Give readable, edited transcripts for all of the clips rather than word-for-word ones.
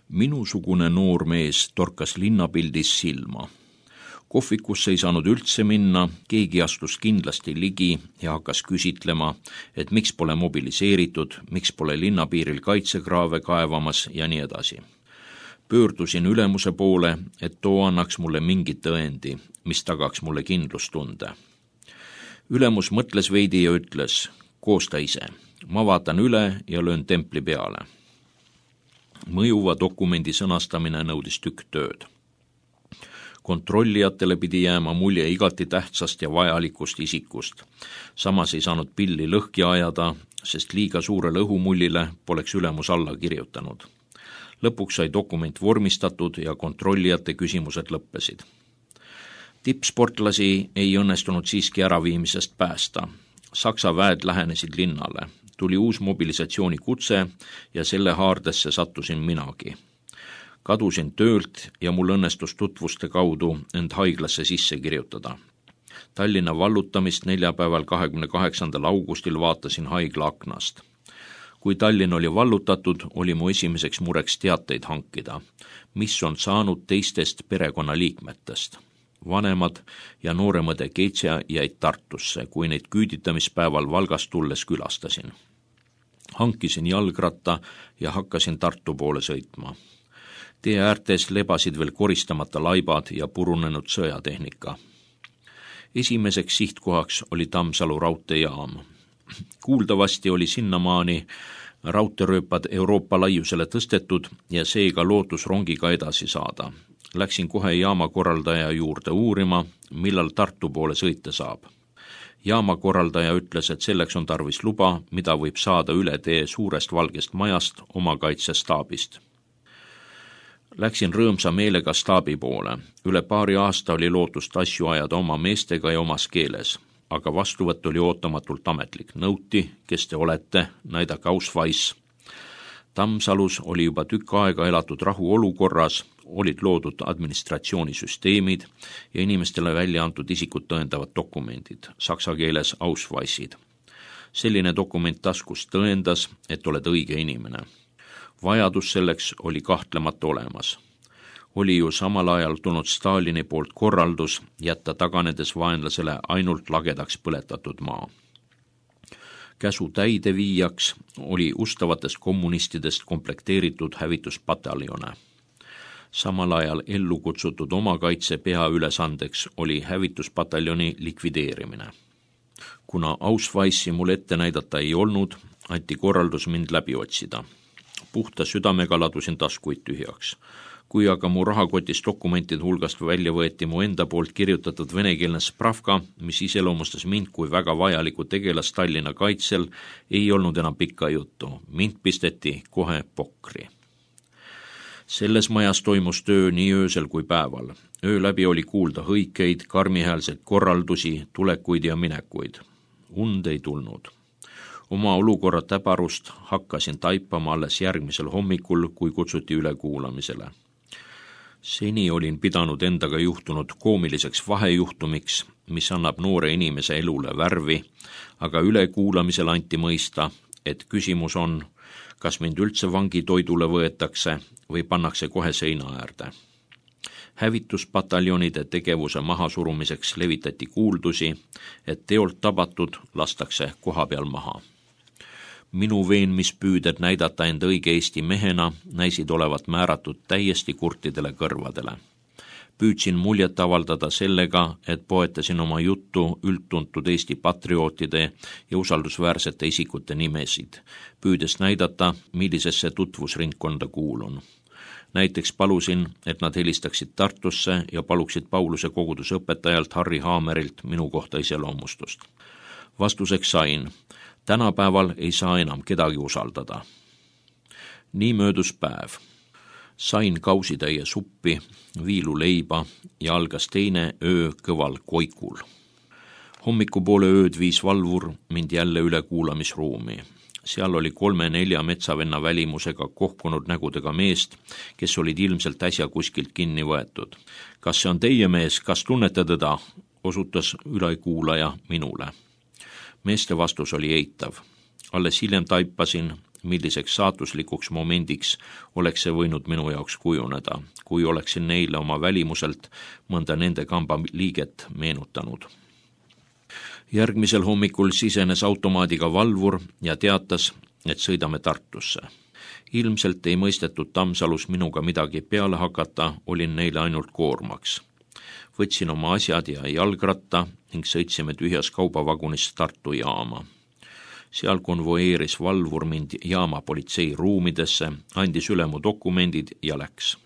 Minusugune noor mees torkas linnapildis silma. Kohvikusse ei saanud üldse minna, keegi astus kindlasti ligi ja hakkas küsitlema, et miks pole mobiliseeritud, miks pole linnapiiril kaitsekraave kaevamas ja nii edasi. Pöördusin ülemuse poole, et too annaks mulle mingi tõendi, mis tagaks mulle kindlustunde. Ülemus mõtles veidi ja ütles, koosta ise. Ma vaatan üle ja löön templi peale. Mõjuva dokumendi sõnastamine nõudis tükk tööd. Kontrollijatele pidi jääma mulje igati tähtsast ja vajalikust isikust. Samas ei saanud pilli lõhki ajada, sest liiga suurele õhumullile poleks ülemus alla kirjutanud. Lõpuks sai dokument vormistatud ja kontrollijate küsimused lõppesid. Tippsportlasi ei õnnestunud siiski äraviimisest päästa. Saksa väed lähenesid linnale. Tuli uus mobilisatsioonikutse ja selle haardesse sattusin minagi. Kadusin töölt ja mul õnnestus tutvuste kaudu end haiglasse sisse kirjutada. Tallinna vallutamist neljapäeval 28. augustil vaatasin haigla aknast. Kui Tallinn oli vallutatud, oli mu esimeseks mureks teateid hankida, mis on saanud teistest perekonnaliikmetest. Vanemad ja nooremõde Keitsia jäid Tartusse, kui neid küüditamispäeval Valgast tulles külastasin. Hankisin jalgratta ja hakkasin Tartu poole sõitma. Tee äärtes lebasid veel koristamata laibad ja purunenud sõjatehnika. Esimeseks sihtkohaks oli Tammsalu raudteejaam. Kuuldavasti oli sinnamaani raudteerööpad Euroopa laiusele tõstetud ja seega lootus rongiga edasi saada. Läksin kohe jaamakorraldaja juurde uurima, millal Tartu poole sõita saab. Jaamakorraldaja ütles, et selleks on tarvis luba, mida võib saada üle tee suurest valgest majast oma kaitsestaabist. Läksin rõõmsa meelega staabi poole. Üle paari aasta oli lootust asju ajada oma meestega ja omas keeles, aga vastuvõtt oli ootamatult ametlik. Nõuti, kes te olete, näidake Ausweis. Tammsalus oli juba tükk aega elatud rahuolukorras, olid loodud administratsioonisüsteemid ja inimestele välja antud isikut tõendavad dokumendid, saksa keeles Ausweisid. Selline dokument taskus tõendas, et oled õige inimene. Vajadus selleks oli kahtlemata olemas. Oli ju samal ajal tulnud Stalini poolt korraldus jätta taganedes vaenlasele ainult lagedaks põletatud maa. Käsu täideviijaks oli ustavatest kommunistidest komplekteeritud hävituspataljone. Samal ajal ellu kutsutud omakaitse peaülesandeks oli hävituspataljoni likvideerimine. Kuna Ausweisi mul ette näidata ei olnud, anti korraldus mind läbi otsida. Puhta südamega ladusin taskuid tühjaks. Kui aga mu rahakotist dokumentide hulgast välja võeti mu enda poolt kirjutatud venekeelne spravka, mis iseloomustas mind kui väga vajaliku tegelast Tallinna kaitsel, ei olnud enam pikka juttu. Mind pisteti kohe pokri. Selles majas toimus töö nii öösel kui päeval. Öö läbi oli kuulda hõikeid, karmihäälseid korraldusi, tulekuid ja minekuid. Und ei tulnud. Oma olukorra täbarust hakkasin taipama alles järgmisel hommikul, kui kutsuti ülekuulamisele. Seni olin pidanud endaga juhtunud koomiliseks vahejuhtumiks, mis annab noore inimese elule värvi, aga ülekuulamisel anti mõista, et küsimus on, kas mind üldse vangitoidule võetakse või pannakse kohe seina äärde. Hävituspataljonide tegevuse mahasurumiseks levitati kuuldusi, et teolt tabatud lastakse kohapeal maha. Minu veenmispüüded näidata end õige Eesti mehena näisid olevat määratud täiesti kurtidele kõrvadele. Püüdsin muljet avaldada sellega, et poetasin oma juttu üldtuntud Eesti patriootide ja usaldusväärsete isikute nimesid, püüdes näidata, millisesse tutvusringkonda kuulun. Näiteks palusin, et nad helistaksid Tartusse ja paluksid Pauluse koguduse õpetajalt Harri Haamerilt minu kohta iseloomustust. Vastuseks sain, tänapäeval ei saa enam kedagi usaldada. Nii möödus päev. Sain kausitäie suppi, viiluleiba ja algas teine öö kõval koikul. Hommikupoole ööd viis valvur mind jälle üle kuulamisruumi. Seal oli 3-4 metsavenna välimusega kohkunud nägudega meest, kes olid ilmselt äsja kuskilt kinni võetud. Kas see on teie mees, kas tunnete teda? Osutas ülekuulaja minule. Meeste vastus oli eitav. Alles hiljem taipasin, milliseks saatuslikuks momendiks oleks see võinud minu jaoks kujuneda, kui oleksin neile oma välimuselt mõnda nende kamba liiget meenutanud. Järgmisel hommikul sisenes automaadiga valvur ja teatas, et sõidame Tartusse. Ilmselt ei mõistetud Tammsalus minuga midagi peale hakata, olin neile ainult koormaks. Võtsin oma asjad ja jalgratta ning sõitsime tühjas kaubavagunis Tartu jaama. Seal konvoeeris valvur mind jaama politsei ruumidesse, andis üle mu dokumendid ja läks.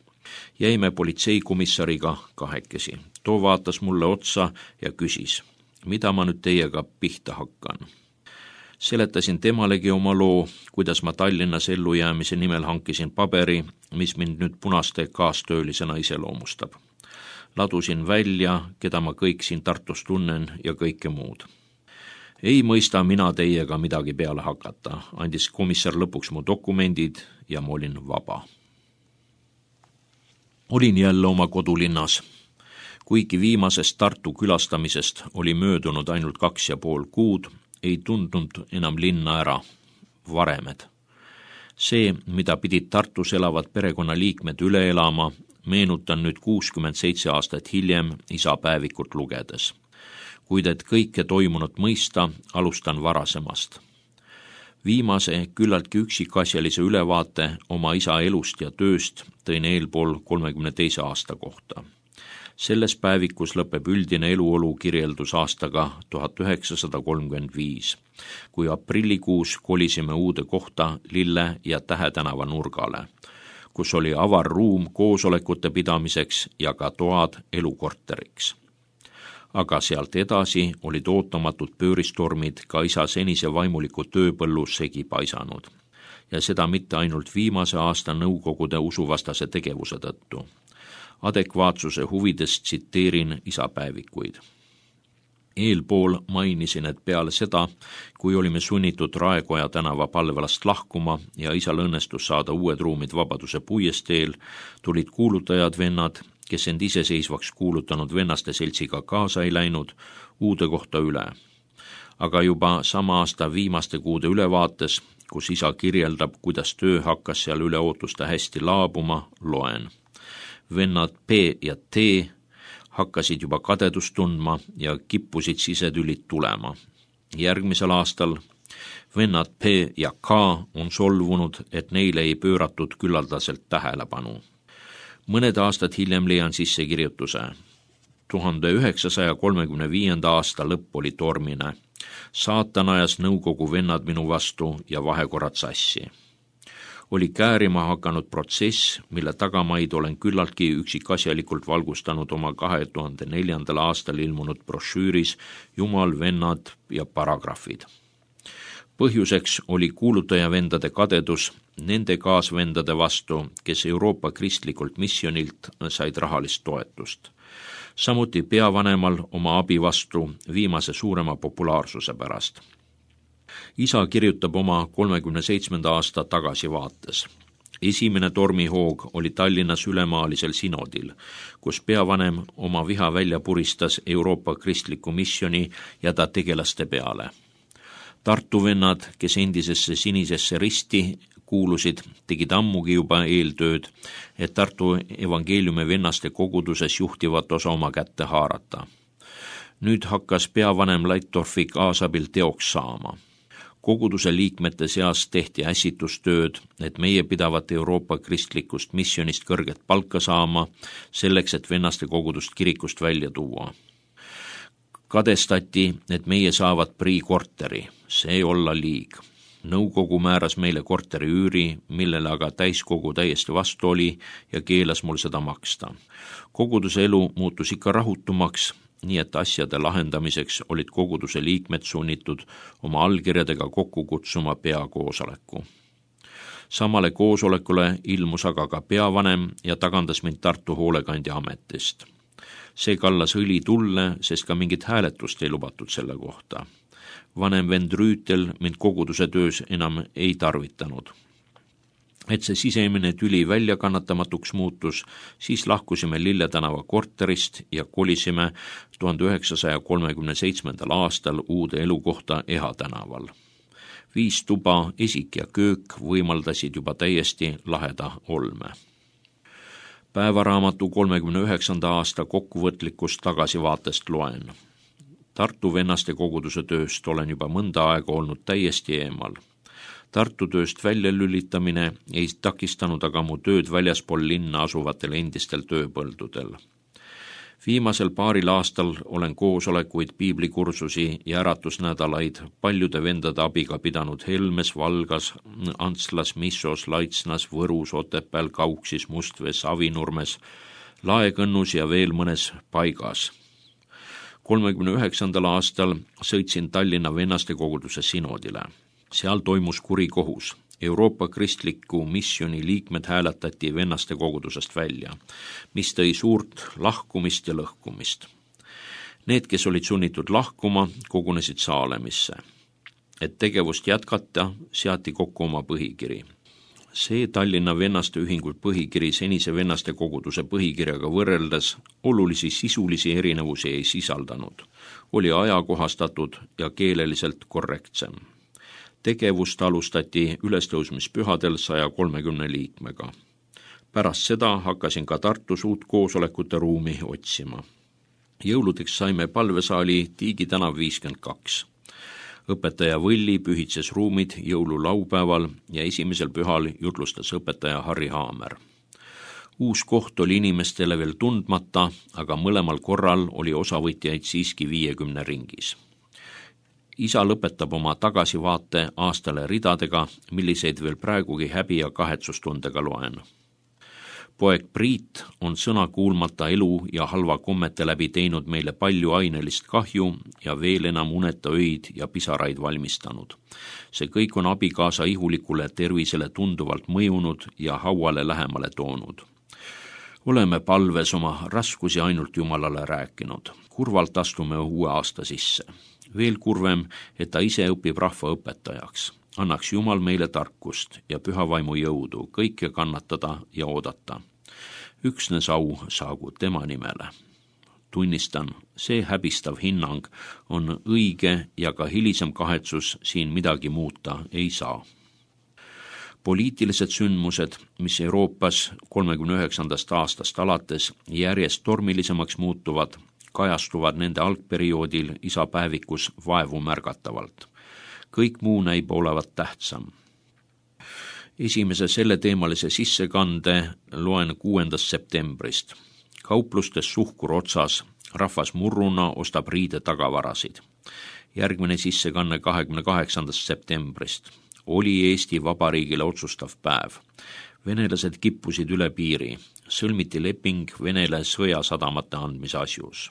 Jäime politseikomissariga kahekesi. Too vaatas mulle otsa ja küsis, mida ma nüüd teiega pihta hakkan. Seletasin temalegi oma loo, kuidas ma Tallinnas ellujäämise nimel hankisin paberi, mis mind nüüd punaste kaastöölisena iseloomustab. Ladusin välja, keda ma kõik siin Tartus tunnen ja kõike muud. Ei mõista mina teiega midagi peale hakata, andis komissar lõpuks mu dokumendid ja ma olin vaba. Olin jälle oma kodulinnas. Kuigi viimasest Tartu külastamisest oli möödunud ainult 2,5 kuud, ei tundnud enam linna ära, varemed. See, mida pidid Tartus elavad perekonnaliikmed üle elama, meenutan nüüd 67 aastat hiljem isa päevikut lugedes. Kuid et kõike toimunut mõista, alustan varasemast. Viimase küllaltki üksikasjalise ülevaate oma isa elust ja tööst tõin eelpool 32 aasta kohta. Selles päevikus lõpeb üldine eluolu kirjeldus aastaga 1935, kui aprillikuus kolisime uude kohta Lille ja Tähe tänava nurgale, kus oli avar ruum koosolekute pidamiseks ja ka toad elukorteriks. Aga sealt edasi olid ootamatud pööristormid ka isa senise vaimuliku tööpõllu segi paisanud. Ja seda mitte ainult viimase aasta nõukogude usuvastase tegevuse tõttu. Adekvaatsuse huvides tsiteerin isa päevikuid. Eelpool mainisin, et peale seda, kui olime sunnitud Raekoja tänava palvelast lahkuma ja isal õnnestus saada uued ruumid Vabaduse puiesteel, tulid kuulutajad vennad, kes end iseseisvaks kuulutanud vennaste seltsiga kaasa ei läinud, uude kohta üle. Aga juba sama aasta viimaste kuude ülevaates, kus isa kirjeldab, kuidas töö hakkas seal üle ootuste hästi laabuma, loen. Vennad P ja T hakkasid juba kadedust tundma ja kippusid sisetülid tulema. Järgmisel aastal vennad P ja K on solvunud, et neile ei pööratud küllaldaselt tähelepanu. Mõned aastad hiljem leian sisse kirjutuse. 1935. aasta lõpp oli tormine. Saatan ajas nõukogu vennad minu vastu ja vahekorrad sassi. Oli käärima hakanud protsess, mille tagamaid olen küllaltki üksikasjalikult valgustanud oma 2004. aastal ilmunud brošüüris Jumal, vennad ja paragrahvid. Põhjuseks oli kuulutajavendade kadedus nende kaasvendade vastu, kes Euroopa kristlikult misjonilt said rahalist toetust. Samuti peavanemal oma abi vastu viimase suurema populaarsuse pärast. Isa kirjutab oma 37. aasta tagasivaates. Esimene tormihoog oli Tallinnas ülemaalisel sinodil, kus peavanem oma viha välja puristas Euroopa kristliku misjoni ja ta tegelaste peale. Tartu vennad, kes endisesse sinisesse risti kuulusid, tegid ammugi juba eeltööd, et Tartu evangeeliumi vennaste koguduses juhtivat osa oma kätte haarata. Nüüd hakkas peavanem Laittorfi kaasabil teoks saama. Koguduse liikmete seas tehti ässitustööd, et meie pidavat Euroopa kristlikust misjonist kõrget palka saama, selleks, et vennaste kogudust kirikust välja tuua. Kadestati, et meie saavad priikorteri, see olla liig. Nõukogu määras meile korteri üüri, millele aga täiskogu täiesti vastu oli ja keelas mul seda maksta. Koguduse elu muutus ikka rahutumaks, nii et asjade lahendamiseks olid koguduse liikmed sunnitud oma allkirjadega kokku kutsuma peakoosoleku. Samale koosolekule ilmus aga ka peavanem ja tagandas mind Tartu hoolekandja ametist. See kallas õli tulle, sest ka mingit hääletust ei lubatud selle kohta. Vanem vend Rüütel mind koguduse töös enam ei tarvitanud. Et see sisemine tüli väljakannatamatuks muutus, siis lahkusime Lille tänava korterist ja kolisime 1937. aastal uude elukohta Eha tänaval. 5 tuba, esik ja köök võimaldasid juba täiesti laheda olme. Päevaraamatu 39. aasta kokkuvõtlikust tagasivaatest loen. Tartu vennaste koguduse tööst olen juba mõnda aega olnud täiesti eemal. Tartu tööst välja lülitamine ei takistanud aga mu tööd väljaspool linna asuvatel endistel tööpõldudel. Viimasel paaril aastal olen koosolekuid, piiblikursusi ja äratusnädalaid paljude vendade abiga pidanud Helmes, Valgas, Antslas, Missos, Laitsnas, Võrus, Otepääl, Kauksis, Mustvees, Avinurmes, Laekõnnus ja veel mõnes paigas. 39. aastal sõitsin Tallinna vennaste koguduse sinodile. Seal toimus kurikohus. Euroopa kristliku missiooni liikmed hääletati vennaste kogudusest välja, mis tõi suurt lahkumist ja lõhkumist. Need, kes olid sunnitud lahkuma, kogunesid Saalemisse. Et tegevust jätkata, seati kokku oma põhikiri. See Tallinna vennaste ühingu põhikiri senise vennaste koguduse põhikirjaga võrreldes olulisi sisulisi erinevusi ei sisaldanud, oli ajakohastatud ja keeleliselt korrektsem. Tegevust alustati ülestõusmispühadel 130 liikmega. Pärast seda hakkasin ka Tartus uut koosolekute ruumi otsima. Jõuludeks saime palvesaali Tiigi tänav 52. Õpetaja Võlli pühitses ruumid jõululaupäeval ja esimesel pühal jutlustas õpetaja Harri Haamer. Uus koht oli inimestele veel tundmata, aga mõlemal korral oli osavõtjaid siiski 50 ringis. Isa lõpetab oma tagasivaate aastale ridadega, milliseid veel praegugi häbi ja kahetsustundega loen. Poeg Priit on sõna kuulmata elu ja halva kommete läbi teinud meile palju ainelist kahju ja veel enam uneta öid ja pisaraid valmistanud. See kõik on abikaasa ihulikule tervisele tunduvalt mõjunud ja hauale lähemale toonud. Oleme palves oma raskusi ainult Jumalale rääkinud. Kurvalt astume uue aasta sisse. Veel kurvem, et ta ise õpib rahva õpetajaks. Annaks Jumal meile tarkust ja pühavaimu jõudu kõike kannatada ja oodata. Üksnes au saagu tema nimele. Tunnistan, see häbistav hinnang on õige ja ka hilisem kahetsus siin midagi muuta ei saa. Poliitilised sündmused, mis Euroopas 39. aastast alates järjest tormilisemaks muutuvad, kajastuvad nende algperioodil isa päevikus vaevu märgatavalt. Kõik muu näib olevat tähtsam. Esimese selleteemalise sissekande loen 6. septembrist. Kauplustes suhkur otsas, rahvas murruna ostab riide tagavarasid. Järgmine sissekanne 28. septembrist. Oli Eesti Vabariigile otsustav päev. Venelased kippusid üle piiri. Sõlmiti leping Venele sõjasadamate andmise asjus.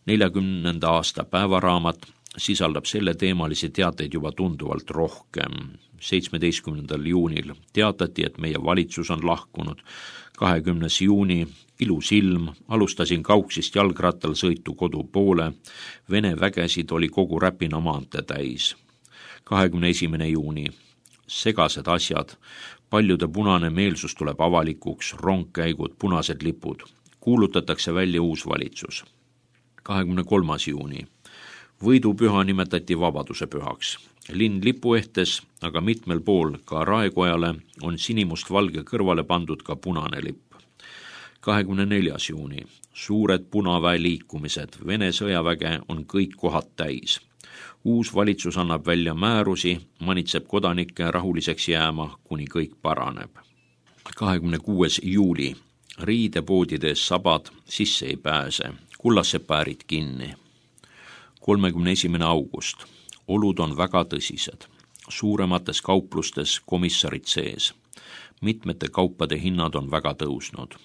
40. aasta päevaraamat sisaldab selle teemalisi teateid juba tunduvalt rohkem. 17. juunil teatati, et meie valitsus on lahkunud. 20. juuni, ilus ilm, alustasin Kauksist jalgrattal sõitu kodu poole. Vene vägesid oli kogu Räpina maantee täis. 21. juuni, segased asjad, paljude punane meelsus tuleb avalikuks, rongkäigud, punased lipud. Kuulutatakse välja uus valitsus. 23. juuni. Võidupüha nimetati vabaduse pühaks. Linn lipuehtes, aga mitmel pool ka Raekojale on sinimust-valge kõrvale pandud ka punane lipp. 24. juuni. Suured punaväe liikumised. Vene sõjaväge on kõik kohad täis. Uus valitsus annab välja määrusi, manitseb kodanikke rahuliseks jääma, kuni kõik paraneb. 26. juuli. Riidepoodides sabad sisse ei pääse. Kullasepäärid kinni. 31. august. Olud on väga tõsised. Suuremates kauplustes komissarid sees. Mitmete kaupade hinnad on väga tõusnud.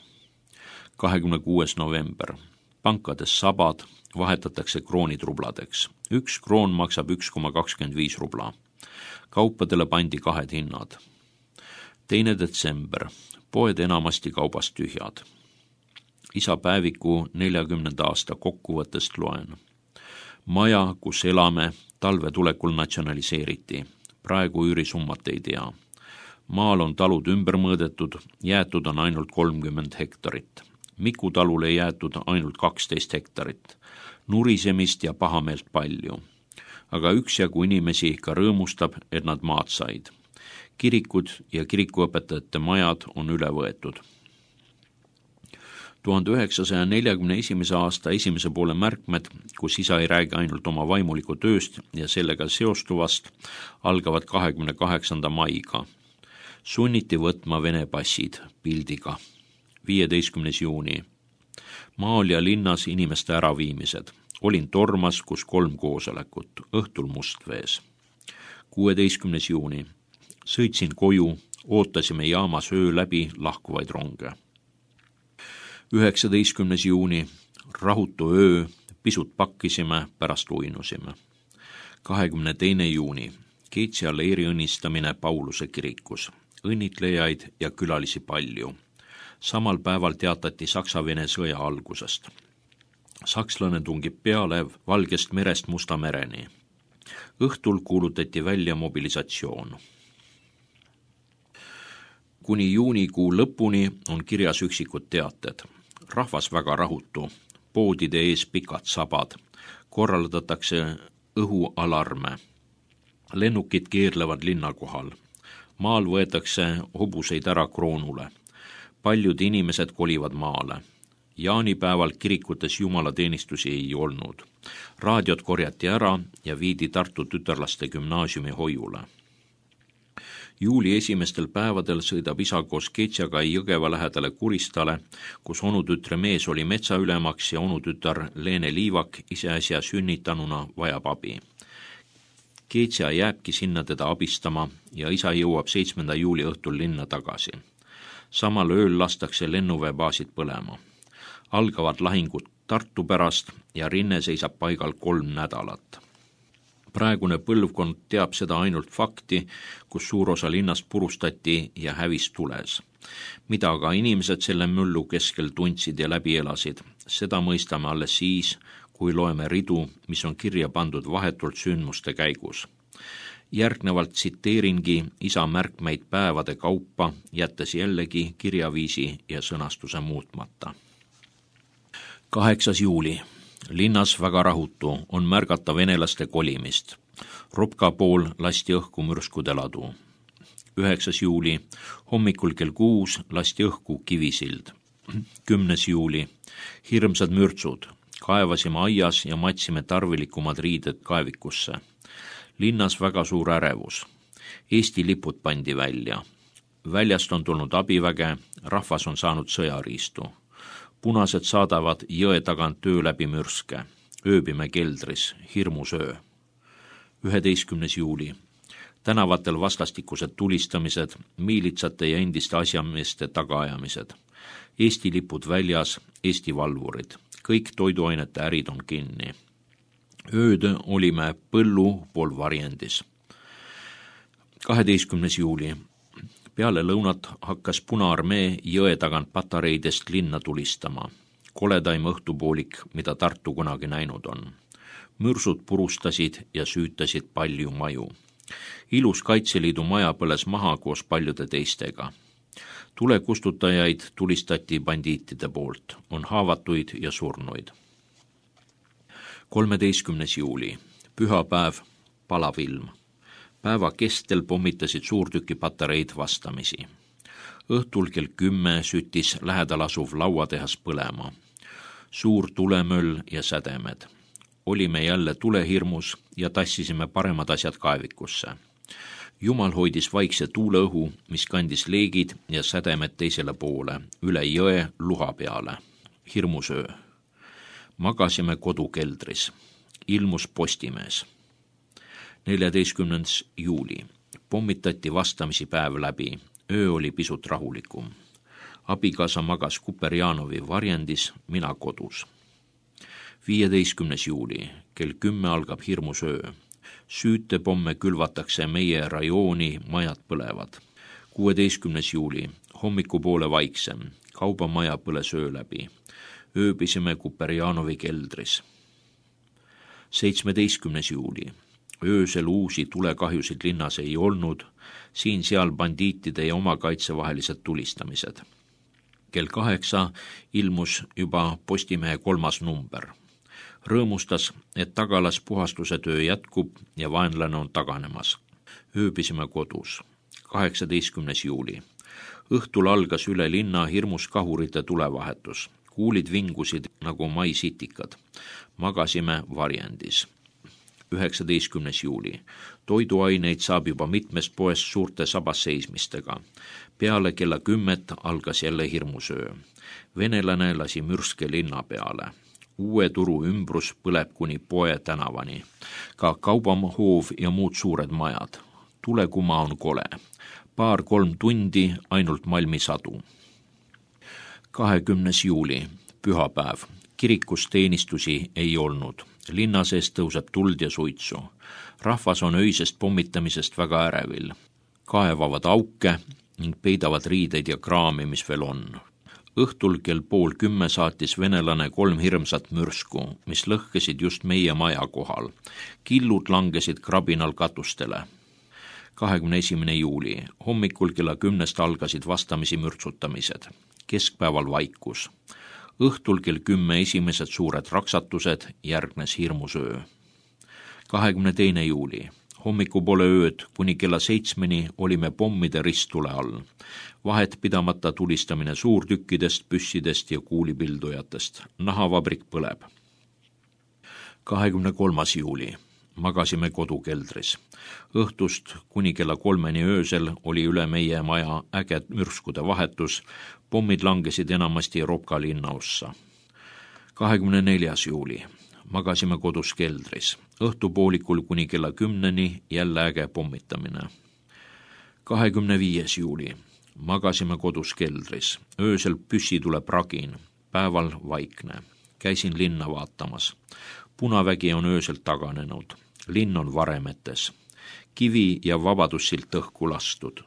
26. november. Pankades sabad vahetatakse kroonitrubladeks. 1 kroon maksab 1,25 rubla. Kaupadele pandi 2 hinnad. 2. detsember. Poed enamasti kaubast tühjad. Isa päeviku 40. aasta kokkuvõttest loen. Maja, kus elame, talve tulekul natsionaliseeriti. Praegu üürisummat ei tea. Maal on talud ümber mõõdetud, jäetud on ainult 30 hektarit. Miku talule jäetud ainult 12 hektarit. Nurisemist ja pahameelt palju. aga üksjagu inimesi ikka rõõmustab, et nad maad said. Kirikud ja kirikuõpetajate majad on üle võetud. 1941. aasta esimese poole märkmed, kus isa ei räägi ainult oma vaimuliku tööst ja sellega seostuvast, algavad 28. maiga. Sunniti võtma Vene passid pildiga. 15. juuni. Maal ja linnas inimeste äraviimised. Olin Tormas, kus 3 koosolekut, õhtul Mustvees. 16. juuni. Sõitsin koju, ootasime jaamas öö läbi lahkuvaid ronge. 19. juuni. Rahutu öö, pisut pakkisime, pärast uinusime. 22. juuni. Keitsia leeri õnnistamine Pauluse kirikus. Õnnitlejaid ja külalisi palju. Samal päeval teatati Saksa-Vene sõja algusest. Sakslane tungib peale Valgest merest Musta mereni. Õhtul kuulutati välja mobilisatsioon. Kuni juunikuu lõpuni on kirjas üksikud teated. Rahvas väga rahutu, poodide ees pikad sabad, korraldatakse õhualarme. Lennukid keerlevad linna kohal. Maal võetakse hobuseid ära Kroonule. Paljud inimesed kolivad maale. Jaanipäeval kirikutes jumalateenistusi ei olnud. Raadiot korjati ära ja viidi Tartu tütarlaste gümnaasiumi hoiule. Juuli esimestel päevadel sõidab isa koos Keitsaga Jõgeva lähedale Kuristale, kus onutütre mees oli metsaülemaks ja onutütar Leene Liivak iseäsja sünnitanuna vajab abi. Keitsa jääbki sinna teda abistama ja isa jõuab 7. juuli õhtul linna tagasi. Samal ööl lastakse lennuväebaasid põlema. Algavad lahingud Tartu pärast ja rinne seisab paigal 3 nädalat. Praegune põlvkond teab seda ainult fakti, kus suur osa linnast purustati ja hävis tules. Mida aga inimesed selle müllu keskel tundsid ja läbi elasid, seda mõistame alles siis, kui loeme ridu, mis on kirja pandud vahetult sündmuste käigus. Järgnevalt tsiteeringi isa märkmeid päevade kaupa, jättes jällegi kirjaviisi ja sõnastuse muutmata. 8. juuli. Linnas väga rahutu, on märgata venelaste kolimist. Ropka pool lasti õhku mürskude ladu. 9. juuli. Hommikul kell 6 lasti õhku Kivisild. 10. juuli. Hirmsad mürtsud. Kaevasime aias ja matsime tarvilikumad riided kaevikusse. Linnas väga suur ärevus. Eesti lipud pandi välja. Väljast on tulnud abiväge, rahvas on saanud sõjariistu. Punased saadavad jõe tagant töö läbi mürske. Ööbime keldris, hirmus öö. 11. juuli. Tänavatel vastastikused tulistamised, miilitsate ja endiste asjameeste tagaajamised. Eesti lipud väljas, Eesti valvurid. Kõik toiduainete ärid on kinni. Ööd olime Põllu pool Varjendis. 12. juuli. Peale lõunat hakkas Punaarmee jõe tagant patareidest linna tulistama. Koledaim õhtupoolik, mida Tartu kunagi näinud on. Mürsud purustasid ja süütasid palju maju. Ilus Kaitseliidu maja põles maha koos paljude teistega. Tulekustutajaid tulistati bandiitide poolt, on haavatuid ja surnuid. 13. juuli. Pühapäev, palav ilm. Päeva kestel pommitasid suurtükipatareid vastamisi. Õhtul kell 10 süttis lähedal asuv lauatehas põlema. Suur tulemöll ja sädemed. Olime jälle tulehirmus ja tassisime paremad asjad kaevikusse. Jumal hoidis vaikse tuuleõhu, mis kandis leegid ja sädemed teisele poole, üle jõe luha peale. Hirmus öö. Magasime kodukeldris. Ilmus Postimees. 14. juuli. Pommitati vastamisi päev läbi. Öö oli pisut rahulikum. Abikaasa magas Kuperjanovi Varjendis, mina kodus. 15. juuli. Kell 10 algab hirmus öö. Süütepomme külvatakse meie rajooni, majad põlevad. 16. juuli. Hommikupoole vaiksem. Kaubamaja põles öö läbi. Ööbisime Kuperjanovi keldris. 17. juuli. Öösel uusi tulekahjusid linnas ei olnud, siin-seal bandiitide ja omakaitsevahelised tulistamised. Kell 8 ilmus juba Postimehe 3. number. Rõõmustas, et tagalas puhastuse töö jätkub ja vaenlane on taganemas. Ööbisime kodus. 18. juuli. Õhtul algas üle linna hirmus kahurite tulevahetus. Kuulid vingusid nagu maisitikad. Magasime varjendis. 19. juuli. Toiduaineid saab juba mitmest poest suurte sabasseismistega. Peale kella 10 algas jälle hirmusöö. Venelane lasi mürske linna peale. Uue turu ümbrus põleb kuni Poe tänavani. Ka kaubahoov ja muud suured majad. Tulekuma on kole. 2-3 tundi ainult malmisadu. 20. juuli. Pühapäev. Kirikus teenistusi ei olnud. Linna sees tõuseb tuld ja suitsu. Rahvas on öisest pommitamisest väga ärevil. Kaevavad auke ning peidavad riideid ja kraami, mis veel on. Õhtul kell 9:30 saatis venelane 3 hirmsat mürsku, mis lõhkesid just meie maja kohal. Killud langesid krabinal katustele. 21. juuli. Hommikul kella 10 algasid vastamisi mürtsutamised. Keskpäeval vaikus. Õhtul kell 10 esimesed suured raksatused, järgnes hirmusöö. 22. juuli. Hommikupoole ööd kuni kella 7 olime pommide risttule all. Vahet pidamata tulistamine suurtükkidest, püssidest ja kuulipildujatest. Nahavabrik põleb. 23. juuli. Magasime kodukeldris. Õhtust kuni kella 3 öösel oli üle meie maja äge mürskude vahetus. Pommid langesid enamasti Ropka linnaossa. 24. juuli. Magasime kodus keldris. Õhtupoolikul kuni kella 10 jälle äge pommitamine. 25. juuli. Magasime kodus keldris. Öösel püssi tuleb ragin. Päeval vaikne. Käisin linna vaatamas. Punavägi on öösel taganenud. Linn on varemetes. Kivi ja Vabadussilt õhku lastud.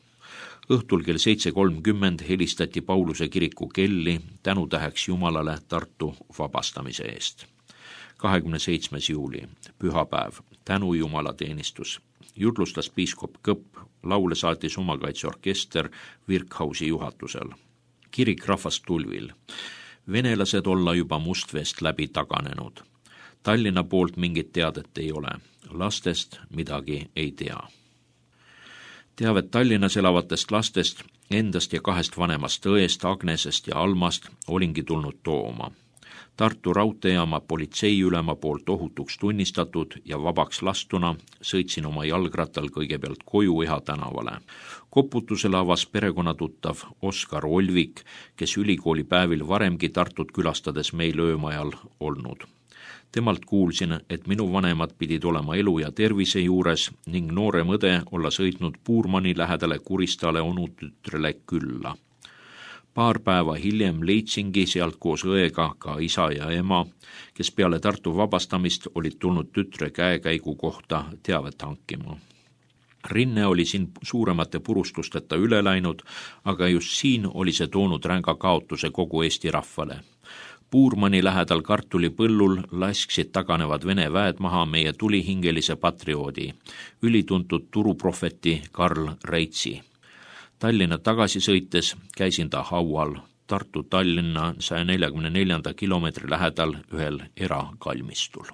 Õhtul kell 7:30 helistati Pauluse kiriku kelli tänutäheks Jumalale Tartu vabastamise eest. 27. juuli, pühapäev, tänu Jumala teenistus. Jutlustas piiskop Kõpp, laule saatis omakaitseorkester Virkhausi juhatusel. Kirik rahvast tulvil. Venelased olla juba Mustveest läbi taganenud. Tallinna poolt mingit teadet ei ole. Lastest midagi ei tea. Teavet Tallinnas elavatest lastest, endast ja 2 vanemast õest, Agnesest ja Almast olingi tulnud tooma. Tartu raudteejaama politseiülema poolt ohutuks tunnistatud ja vabaks lastuna sõitsin oma jalgrattal kõigepealt koju Eha tänavale. Koputusele avas perekonnatuttav Oskar Olvik, kes ülikooli päevil varemgi Tartut külastades meil öömajal olnud. Temalt kuulsin, et minu vanemad pidid olema elu ja tervise juures ning noorem õde olla sõitnud Puurmani lähedale Kuristale onutütrele külla. 2 päeva hiljem leidsingi sealt koos õega ka isa ja ema, kes peale Tartu vabastamist olid tulnud tütre käekäigu kohta teavet hankima. Rinne oli siin suuremate purustusteta üle läinud, aga just siin oli see toonud ränga kaotuse kogu Eesti rahvale. Puurmani lähedal kartulipõllul lasksid taganevad Vene väed maha meie tulihingelise patrioodi, ülituntud turuprohveti Karl Reitsi. Tallinna tagasi sõites käisin ta haual Tartu-Tallinna 144 kilomeetri lähedal ühel erakalmistul.